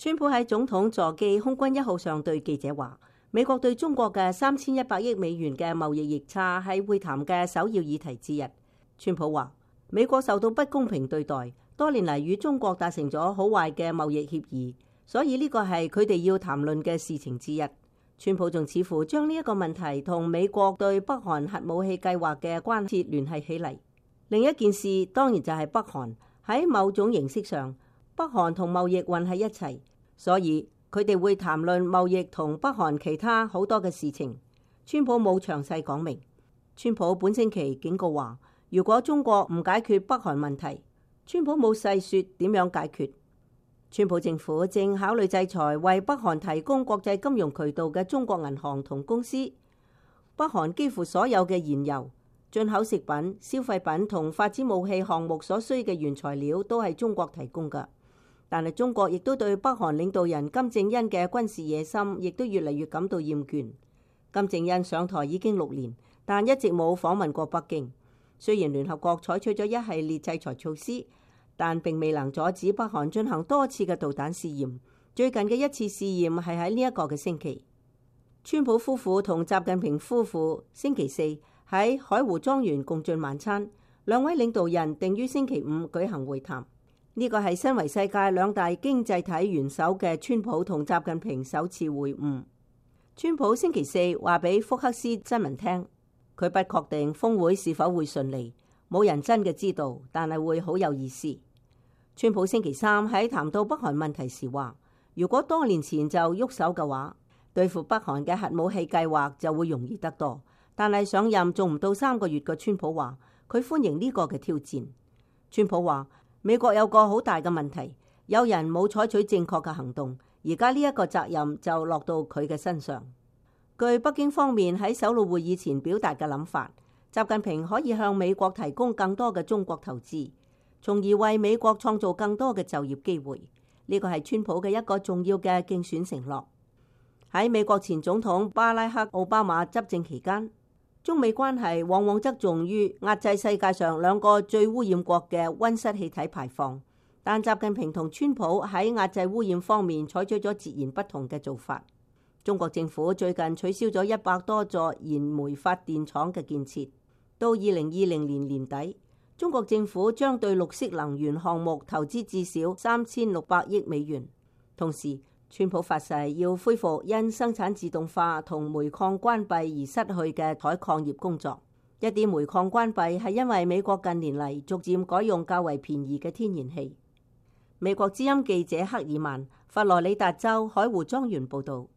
川普喺總統座機空軍1號上對記者話，美國對中國嘅3100億美元嘅貿易逆差係會談嘅首要議題之一。川普話，美國受到不公平對待，多年嚟與中國達成咗好壞嘅貿易協議，所以呢個係佢哋要談論嘅事情之一。川普仲似乎將呢一個問題同美國對北韓核武器計劃嘅關切聯繫起嚟。另一件事當然就係北韓喺某種形式上，北韓同貿易混喺一齊，所以佢哋會談論貿易同北韓其他好多嘅事情。川普冇詳細講明。川普本星期警告話，如果中國唔解決北韓問題，川普冇細說點樣解決。川普政府正考慮制裁為北韓提供國際金融渠道嘅中國銀行同公司。北韓幾乎所有嘅燃油、進口食品、消費品同發展武器項目所需嘅原材料都係中國提供㗎。但係中國亦都對北韓領導人金正恩嘅軍事野心亦都越嚟越感到厭倦。金正恩上台已經6年，但一直冇訪問過北京。雖然聯合國採取咗一系列制裁措施，但並未能阻止北韓進行多次嘅導彈試驗。最近嘅一次試驗係喺呢一個嘅星期。川普夫婦同習近平夫婦星期四喺海湖莊園共進晚餐，兩位領導人定於星期5舉行會談。呢個係身為世界2大經濟體元首嘅川普同習近平首次會晤。川普星期四話俾福克斯新聞聽，佢不確定峰會是否會順利，冇人真嘅知道，但係會好有意思。川普星期三喺談到北韓問題時話，如果多年前就喐手嘅話，對付北韓嘅核武器計劃就會容易得多。但係上任仲唔到3個月嘅川普話，佢歡迎呢個嘅挑戰。川普話，美國有個好大嘅問題，有人冇採取正確嘅行動，而家呢一個責任就落到佢嘅身上。據北京方面喺首腦會議前表達嘅諗法，習近平可以向美國提供更多嘅中國投資，從而為美國創造更多嘅就業機會。呢個係川普嘅一個重要嘅競選承諾。喺美國前總統巴拉克奧巴馬執政期間，中美關係往往側重於壓制世界上2個最污染國嘅溫室氣體排放，但習近平同川普喺壓制污染方面採取咗截然不同嘅做法。中國政府最近取消咗100多座燃煤發電廠嘅建設。到2020年年底，中國政府將對綠色能源項目投資至少3600億美元。同時，川普發誓要恢復因生產自動化同煤礦關閉而失去嘅採礦業工作。一啲煤礦關閉係因為美國近年嚟逐漸改用較為便宜嘅天然氣。美國之音記者克爾曼，佛羅里達州海湖莊園報導。